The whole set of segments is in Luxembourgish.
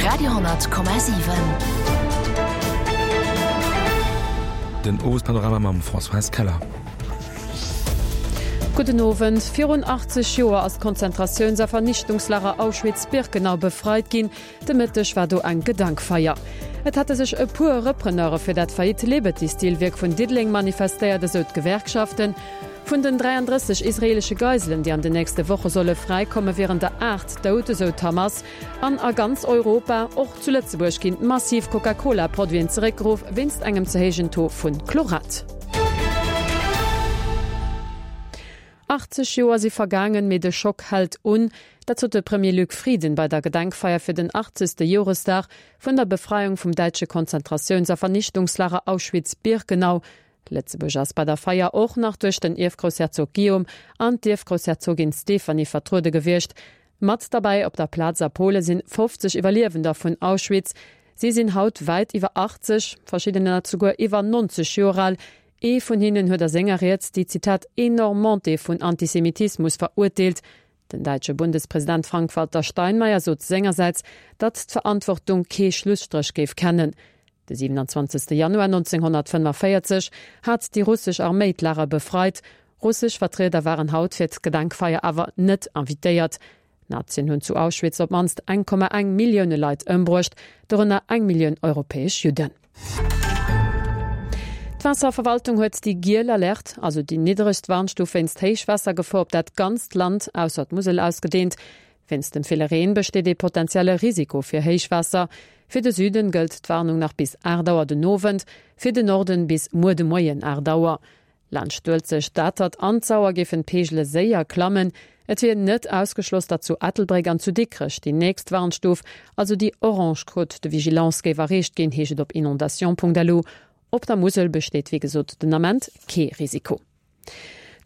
Radio,7. Den Owespanorama mam Françoise Keller. Gudden Owend. Virun 80 Joer ass d'Konzentratiouns a Vernichtungslager Auschwitz-Birkenau befreit ginn. De Mëtteg war do eng Gedankfeier. Et hätte sech e puer Repreneure fir dat faillite Liberty-Steel-Wierk vun Diddeleng manifestéiert, esou d'Gewerkschaften. Vun den 33 israeelesche Geiselen, déi an den nächste Woche solle fräikommen, wieren der 8 dout, esou d'Hamas. An a ganz Europa, och zu Lëtzebuerg, ginn massiv Coca-Cola-Produiten zeréckgeruff wéinst engem ze héijen Taux vu Chlorat. 80 Joer si vergaangen, mee de Schock hält un. Dat sot de Premier Luc Frieden bei der Gedenkfeier fir den 80. Joresdag vun der Befreiung vum däitsche Konzentratiouns a Vernichtungslager Auschwitz-Birkenau. Lëtzebuerg ass bei der Feier och nach duerch den Ierfgroussherzog Guillaume an d'Ierfgroussherzogin Stéphanie vertruede gewiescht. Mat derbäi op der Plaz a Pole sinn 50 Iwwerliewender vun Auschwitz. Si sinn haut wäit iwwer 80, verschiddener souguer iwwer 90 Joer al. Ee vun hinnen huet a senger Ried déi, Zitat, enorm Montée vun Antisemitismus verurteelt. Den däitsche Bundespresident Frank-Walter Steinmeier sot sengersäits, datt d'Verantwortung kee Schlusstréch géif kennen. De 27 Januar 1945 hat déi russesch Arméi d'Lager befreit. Russesch Vertrieder waren haut fir d'Gedenkfeier awer net invitéiert. D'Nazien hunn zu Auschwitz op d'mannst 1,1 Millioune Leit ëmbruecht, dorënner eng Millioun europäesch Judden. D'Waasserverwaltung huet déi giel Alerte, also déi niddregst Warnstuf wéinst Héichwaassergefor op dat ganzt Land, ausser d'Musel, ausgedeent. Wéinst dem ville Reen besteet ee potenzielle Risiko fir Héichwaasser. Fir de Süden gëllt d'Warnung nach bis 8 Auer den Owend, fir de Norden bis muer de Moien 8 Auer. Laanscht d'Uelzecht, d'Atert an d'Sauer géifen d'Peegele séier klammen. Et wier net ausgeschloss, datt zu Ettelbréck an zu Dikrech déi nächst Warnstuf, also déi orange Cote de vigilance, géif erreecht ginn, heescht et op inondation.lu. Op der Musel besteet wéi gesot den Ament kee Risiko.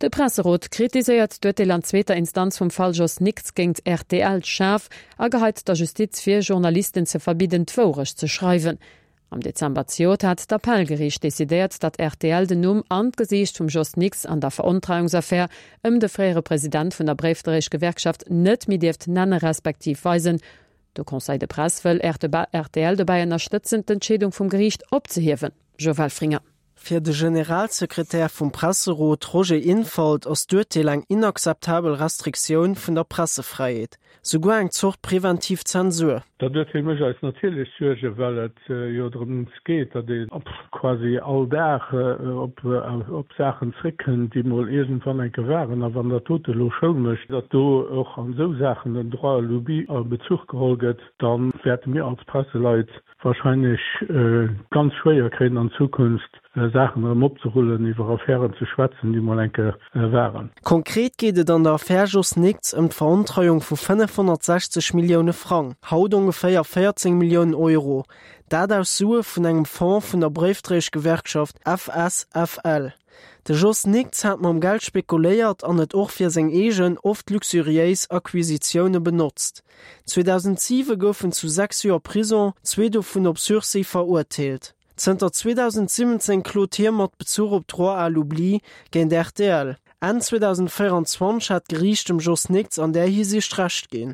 De Presserot kritiséiert d'Urteel an zweeter Instanz vum Fall Jos Nix géint rtl schaarf a geheit der Justiz vir, Journalisten ze verbidden, d'Wourecht ze schreiwen. Am Dezember zejoert hat d'Appellgeriicht decidéiert, datt rtl den Numm an d'Gesiicht vum Jos Nix an der Verontreiungsaffär ëm de fréiere President vun der Bréifdréieschgewerkschaft net méi dierft nenne respektiv weisen. De Conseil de Presse wëll rtl dobäi ënnerstëtzen, d'Entscheedung vum Geriicht opzehiewen. Jo Welfringer. Fir de Generalsekretär vum Presserot Roger Infalt ass d'Urteel eng inakzeptabel Restriktioun vun der Pressefräiheet, souguer eng Zort preventiv Zensur. Dat Urteel mécht eis natierlech Suergen, well et jo drëms geet, datt ee quasi all Dag op Saachen zréckkënnt, déi mol iergendwann eng Kéier waren. A wann dat dote elo Schoul mécht, datt do och an esou Saachen den Droit à l'oubli a Bezuch geholl gëtt, da wäerte mir als Presseleit wahrscheinlech ganz schwéier kréien an Zukunft Saachen erëm opzerullen, iwwer Affären ze schwätzen, déi mol eng Kéier waren. Konkret geet et an der Affär Jos Nickts ëm d'Verontreiung vu 560 Millioune Frang, haut ongeféier 14 Milliounen Euro, dat aus Sue vun engem Fonds vun der Bréifdréieschgewerkschaft FSFL. De Jos Nickts hat mam Geld spekuléiert an et och fir seng eegen, oft luxuriéis Acquisitioune benotzt. 2007 gouf en zu 6 Joer Prison, zwee dovun op Sursis, verurteelt. Zënter 2017 klot hie mat Bezuch op d'Droit à l'oubli géint rtl. Enn 2024 hat d'Geriicht dem Jos Nickts an där Hisiicht Recht ginn.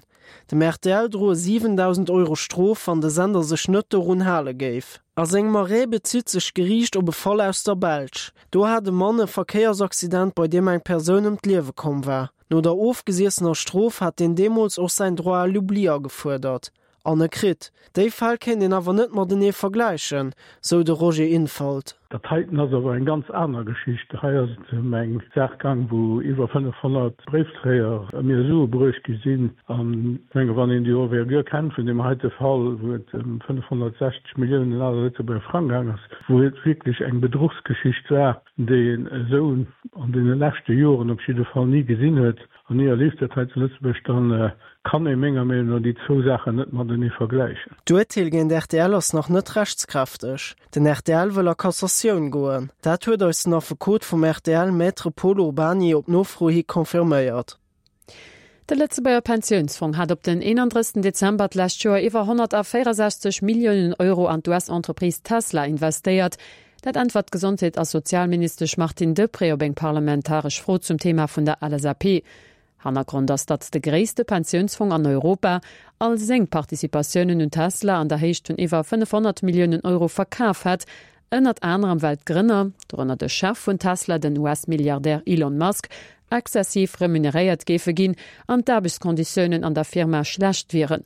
Dem rtl droe 7.000 Euro Strof, wann de Sender sech net dorun hale géif. A sengem Arrêt bezitt sech d'Geriicht op e Fall aus der Belsch. Do hat e Mann e Verkéiersaccident, bei deem eng Persoun ëm d'Liewe komm war. No der ofgesiessener Strof hat deen deemools och säin Droit à l'oubli agefuerdert. An e kritt. Déi Fäll kéint een awer net matenee vergläichen, sou de Roger Infalt. Dat heiten ass awer eng ganz aner Geschicht. Hei ass et ëm eng Saach gaang, wou iwwer 500 Bréifdréier ëm hir Sue bruecht gi sinn. An ech menge wann een déi Envergure kennt vun deem heite Fall, wou et ëm 560 Milliounen ale Lëtzebuerger Frang gaang ass, wou et wierklech eng Bedruchsgeschicht war, déi een esou an deene leschte Joren op jidde Fall ni gesinn huet an ni erlieft huet hei zu Lëtzebuerg, da kann ee menger Meenung no déi zwou Saachen net matenee vergläichen. D'Urteel géint rtl ass nach net rechtskräfteg. Den rtl wëll a Cassatioun goen. Dat huet eis den Affekot vum rtl, Maître Pol Urbany, op Nofro hi confirméiert. De Lëtzebuerger Pensiounsfong hat op den 31 Dezember d'lescht Joer iwwer 164 Milliounen Euro an d'US-Entreprise Tesla investéiert. Dat äntwert d'Gesondheet a Sozialministesch Martine Deprez op eng parlamentaresch Fro zum Thema vun der LSAP. Hannergrond ass, datt de gréisste Pensiounsfong an Europa all seng Participatiounen un Tesla an der Héicht vun iwwer 500 Milliounen Euro verkaf hätt, ënnert anerem well d'Grënner, dorënner de Chef vun Tesla, den US-Milliardär Elon Musk, exzessiv remuneréiert géife ginn an d'Aarbechtskonditiounen an der Firma schlecht wieren.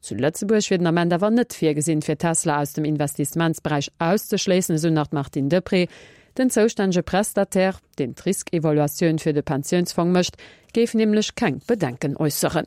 Zu Lëtzebuerg wier den Ament awer net virgesinn, fir Tesla aus dem Investissementsberäich auszeschléissen, esou nach d'Martine Deprez. Den zoustännege Prestataire, deen d'Riskevaluatioun fir de Pensiounsfong mécht, géif nämlech keng Bedenken äusseren.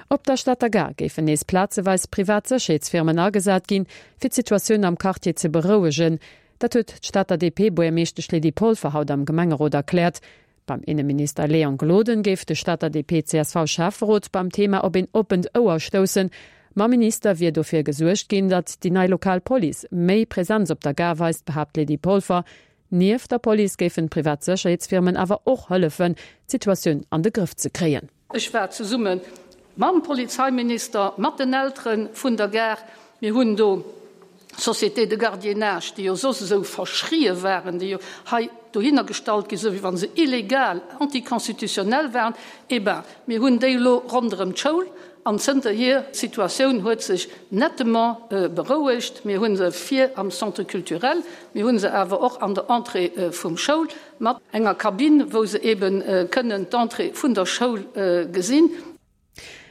Op der Stater Gare géifen nees plazeweis privat Sécherheetsfirmen agesat ginn, fir d'Situatioun am Quartier ze berouegen. Dat huet d'Stater DP-Buergermeeschtesch Lydie Polfer haut am Gemengerot erkläert. Beim Inneminister Léon Gloden géif de Stater DP-CSV-Schäfferot beim Thema op een oppent Ouer stoussen. Mam Minister wier dofir gesuergt ginn, datt déi nei lokal Police méi Presenz op der Gare weist, behaapt d'Lydie Polfer. Nieft der Police géifen d'privat Sécherheetsfirmen awer och hëllefen, d'Situatioun an de Grëff ze kréien. Ech war zesumme mam Polizeiminister, mat den Eltere vun der Gare. Mir hunn do Sociétés de gardiennage, déi jo soss esou verschrie waren, déi jo hei dohinner gestallt gi sou wéi wa se illegal, anticonstitutionnel waren. Eh ben, mir hunn déi elo ronderëm d'Schoul an zënterhier, d'Situatioun huet sech nettement berouegt. Mir hu se vir am Centre culturel, mir hu se awer och an der Entrée vum Schoul mat enger Kabinn, wou se eebe kënnen d'Entrée vun der Schoul gesinn.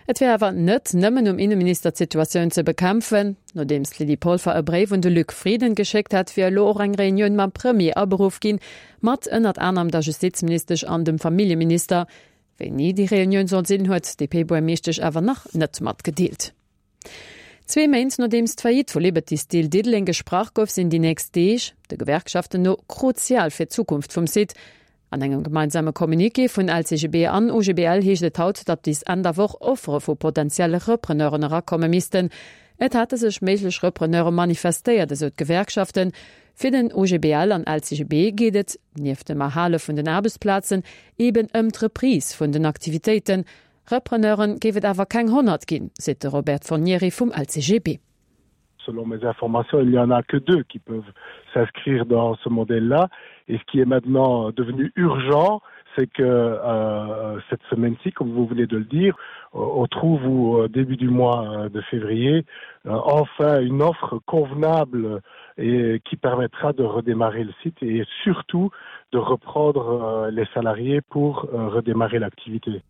Et wär awer net nëmmen um Inneminister d'Situatioun ze bekämpfen. Nodeems d'Lydie Polfer e Bréif un de Luc Frieden geschéckt hat, wier elo och eng Reunioun mam Premier aberuff ginn, mat ënnert anerem der Justizministesch an dem Familljeminister. Wéini déi Reunioun soll sinn, huet d'DP-Buermeeschtesch awer nach net matgedeelt. Zwee Méint nodeems d'Faillite vu Liberty Steel Diddeleng gesprach gouf, sinn déi nächst Deeg, de Gewerkschaften no, kruzial fir d'Zukunft vum Site. An engem gemeinsame Communiqué vun LCGB an OGBL heescht et haut, datt bis Enn der Woch Offere vu potentielle Repreneuren erakomme missten. Et hate sech méiglech Repreneure manifestéiert, esou d'Gewerkschaften. Fir den OGBL an LCGB geet et, nieft dem Erhale vun den Aarbechtsplazen, eben ëm d'Reprise vun den Aktivitéiten. Repreneure géif et awer keng 100 ginn, seet de Robert Fornieri vum LCGB. Selon mes informations, il n'y en a que deux qui peuvent s'inscrire dans ce modèle-là. Et ce qui est maintenant devenu urgent, c'est que euh, cette semaine-ci, comme vous venez de le dire, on trouve au début du mois euh, de février euh, enfin une offre convenable et qui permettra de redémarrer le site et surtout de reprendre euh, les salariés pour euh, redémarrer l'activité.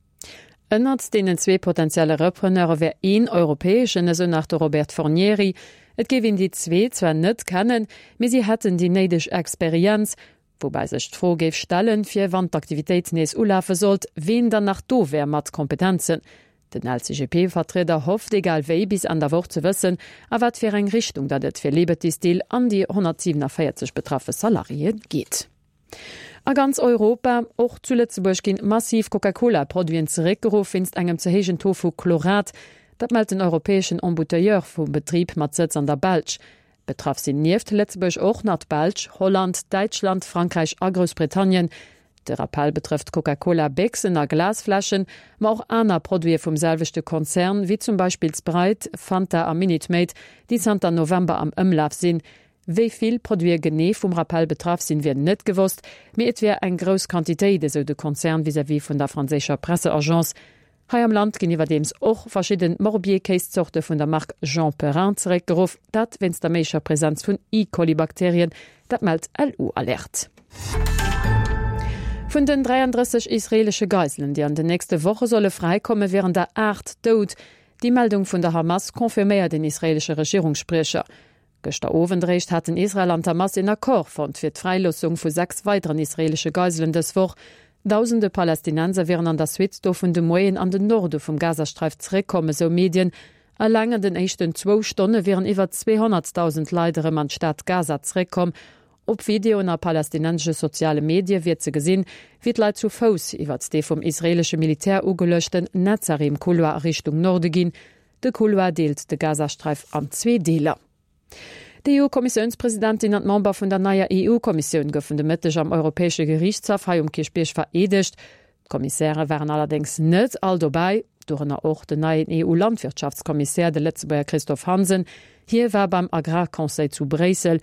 Ënnert deenen zwee potentielle Repreneure wär een europäeschen, esou nach de Robert Fornieri. Et géif een déi zwee zwar net kennen, mee si hätten déi néideg Experienz. Woubäi sech d'Fro géif stellen, fir wann d'Aktivitéit nees ulafe sollt, ween dann nach do wär mat Kompetenzen. Den LCGP-Vertrieder hofft egal wéi bis Enn der Woch ze wëssen, a wat fir eng Richtung datt et fir Liberty Steel an déi 147 betraffe Salariéë geet. A ganz Europa, och zu Lëtzebuerg, ginn massiv Coca-Cola-Produiten zeréckgeruff wéinst engem ze héijen Taux vu Chlorat. Dat mellt den europäeschen Embouteilleur vum Betrib mat Sëtz an der Belsch. Betraff sinn nieft Lëtzebuerg och nach d'Belsch, Holland, Däitschland, Frankräich a Groussbritannien. De Rappell betrëfft Coca-Cola-Béchsen a Glasfläschen, ma och aner Produite vum selwechte Konzern, wéi zum Beispill Sprite, Fanta a Minute Maid, déi zanter November am Ëmlaf sinn. Wéi vill Produite genee vum Rappell betraff sinn, wier net gewosst, mee et wier eng grouss Quantitéit, esou de Konzern vis-à-vis vun der franséischer Presseagence. Hei am Land ginn iwwerdeems och verschidden Morbier-Kéiszorte vun der Mark Jean Perrin zeréckgeruff, dat wéinst der méiglecher Presenz vun E-Coli-Bakterien, dat mellt LU-Alert. Vun den 33 israeelesche Geiselen, déi an den nächste Woche solle fräikommen, wieren der 8 dout. Déi Meldung vun der Hamas confirméiert een israeelesche Regierungsspriecher. Gëschter Owend eréischt haten Israel an d'Hamas een Accord fonnt fir d'Fräiloossung vu 6 weideren israeelesche Geiselen dës Woch. Dausende Palästinenser wieren an der Suite dovun de Moien an den Norde vum Gazasträif zeréckkomm, esou Medien. Eleng an den éischten zwou Stonne wieren iwwer 200.000 Leit erëm an d'Stad Gaza zeréckkomm. Op Videoen a palästinensesche soziale Medie wier ze gesinn, wéi d'Leit zu Fouss iwwert dee vum israeelesche Militär ugeluechten Netzarim-Couloir a Richtung Norde ginn. De Couloir deelt de Gazasträif an zwee Deeler. D'EU-Kommissiounspresidentin an d'Member vun der neier EU-Kommissioun goufen de Mëtteg am Europäesche Geriichtshaff hei um Kierchbierg vereedegt. D'Kommissäre waren allerdéngs net all dobäi, dorënner och den neien EU-Landwirtschaftskommissär, de Lëtzebuerger Christophe Hansen. Hie war beim Agrarconseil zu Bréissel.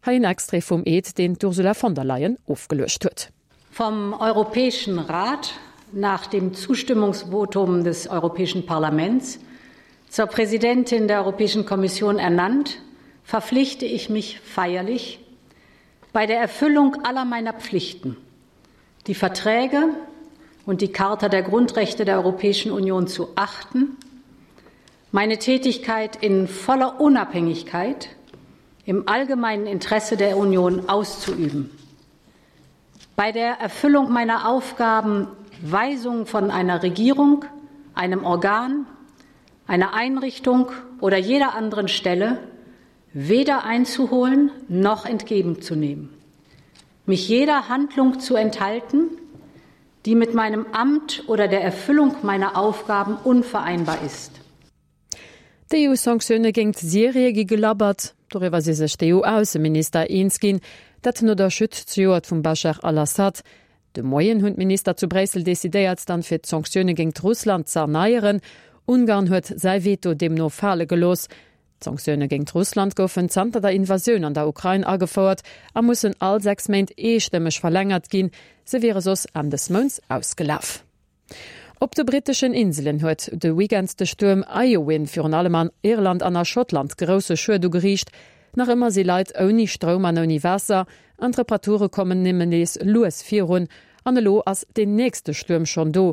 Hei en Extrait vum Eed, deen d'Ursula von der Leyen ofgeluecht huet. Vom Europäischen Rat. nach dem Zustimmungsvotum des Europäischen Parlaments zur Präsidentin der Europäischen Kommission ernannt, verpflichte ich mich feierlich, bei der Erfüllung aller meiner Pflichten die Verträge und die Charta der Grundrechte der Europäischen Union zu achten, meine Tätigkeit in voller Unabhängigkeit im allgemeinen Interesse der Union auszuüben. Bei der Erfüllung meiner Aufgaben Weisungen von einer Regierung, einem Organ, einer Einrichtung oder jeder anderen Stelle weder einzuholen noch entgegenzunehmen. Mich jeder Handlung zu enthalten, die mit meinem Amt oder der Erfüllung meiner Aufgaben unvereinbar ist. D'EU-Sanktioune géingt Syrie gi gelabbert. Doriwwer si sech d'EU-Ausseminister eens ginn. Dat no der Chute zejoert vum Bashar al-Assad. De Moien hunn d'Minister zu Bréissel decidéiert, dann fir d'Sanktioune géingt Russland z'erneieren. Ungarn huet säi Veto deemno fale gelooss. D'Sanktioune géingt Russland goufen zanter der Invasioun an der Ukrain agefouert a mussen all 6 Méint eestëmmeg verlängert ginn. Se wiere soss Enn des Mounts ausgelaf. Op de britteschen Inselen huet de Weekend de Stuerm Éowyn virun allem an Irland an a Schottland grousse Schued ugeriicht. Nach ëmmer si Leit ouni Stroum an ouni Waasser an d'Reparature kommen nëmmen nees lues virun. An elo ass deen nächste Stuerm schonn do.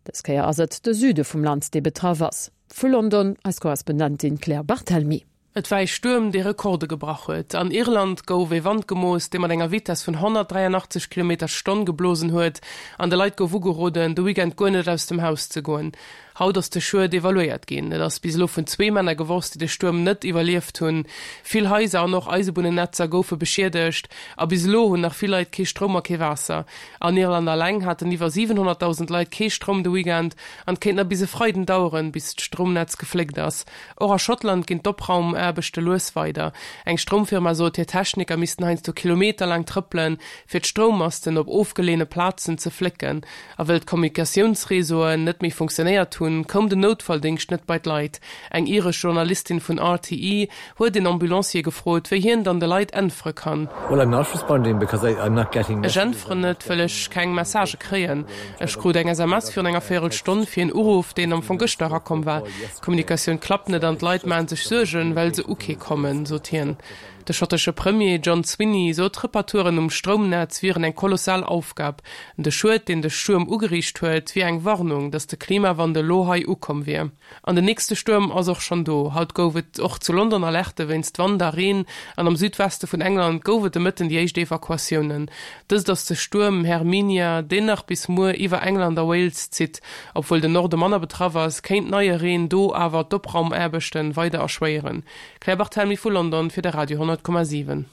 Dës Kéier ass et de Süde vum Land, dee betraff ass. Vu London eis Korrespondentin Claire Barthelmy. Et war ee Stuerm, dee Rekorde gebrach huet. An Irland gouf ee Wand gemooss, dee mat enger Vitess vun 183 Kilometer d'Stonn geblosen huet an de Leit gouf ugeroden, de Weekend guer net aus dem Haus ze goen. Haut ass de Schued evaluéiert ginn. Et ass bis elo vun zwee Männer gewosst, déi de Stuerm net iwwerlieft hunn. Vill Haiser an och Eisebunnennetzer goufe beschiedegt a bis elo hunn nach vill Leit kee Stroum a kee Waasser. An Irland alleng haten iwwer 700.000 Leit kee Stroum de Weekend an et kéint nach bis e Freiden daueren, bis d'Stroumnetz gefléckt ass. Och a Schottland ginn d'Opraumaarbechte lues weider. Eng Stroumfirma sot, hir Techniker missten heiansdo kilometerlaang trëppelen, fir d'Stroummasten op ofgeleeëne Plazen ze flécken. A wëll d'Kommunikatiounsreseauen net méi funktionéiert hunn, koum den Noutfalldéngscht net bei d'Leit. Eng iresch Journalistin vun RTE huet een Ambulancier gefrot, wéi hien dann de Leit äntwere kann. Ech äntweren net, wëll ech keng Messagë kréien. Ech krut eng SMS virun enger Véierelstonn fir een Uruff, deen am Fong gëschter erakomm war. D'Kommunikatioun klappt net an d'Leit maache sech Suergen, well se u kee kommen, sot hien. De schottesche Premier John Swinney sot, d'Reparaturen um Stroumnetz wieren eng kolossal Aufgab. De Schued, deen de Stuerm ugeriicht huet, wier eng Warnung, datt de Klimawandel lo hei ukomm wier. An den nächste Stuerm ass och schonn do. Haut gouf et och zu London Alerte wéinst Wand a Reen an am Südweste vun England gouf et de Mëtten déi éischt Evakuatiounen. Dëst ass de Stuerm Herminia, deen nach bis muer iwwer England a Wales zitt. Obwuel den Norde manner betraff ass, kéint neie Reen do awer d'Opraumaarbechte weider erschwéieren. Claire Barthelmy vu London fir de Radio 10,7.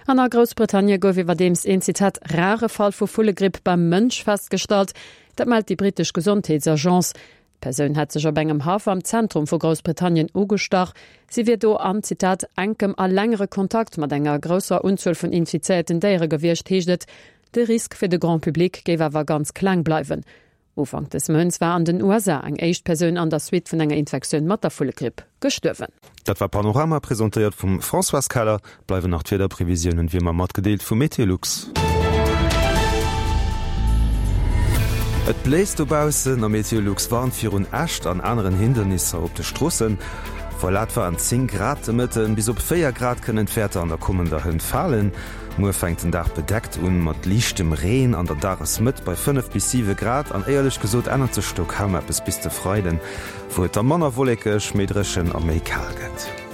An a Groussbritannie gouf iwwerdeems een, Zitat, rare Fall vu Vullegripp beim Mënsch festgestallt. Dat mellt déi brittesch Gesondheetsagence. D'Persoun hätt sech op engem Haff am Zentrum vu Groussbritannien ugestach. Si wier do an, Zitat, enkem a längere Kontakt mat enger grousser Unzuel vun infizéierten Déiere gewiescht, heescht et. De Risk fir de Grand Public géif awer ganz kleng bleiwen. Ufank des Mounts war an den USA eng éischt Persoun an der Suite vun enger Infektioun mat der Vullegripp gestuerwen. Dat war Panorama, presentéiert vum Françoise Keller. Bleiwen nach d'Wiederprevisiounen, wéi ëmmer matgedeelt vu Meteolux. Et bléist dobaussen a Meteolux warnt virun Äscht an aneren Hindernisser op de Stroossen. Voilà, et waren 10 Grad de Mëtten, bis op 4 Grad kënnen d'Wäerter an der kommender Hënt falen. Muer fänkt den Dag bedeckt un, mat liichtem Reen an der Dagesmëtt bei 5 bis 7 Grad an éierlech gesot ännert sech do kaum eppes bis de Freiden, wou et da manner wollekeg, méi dréchen a méi kal gëtt.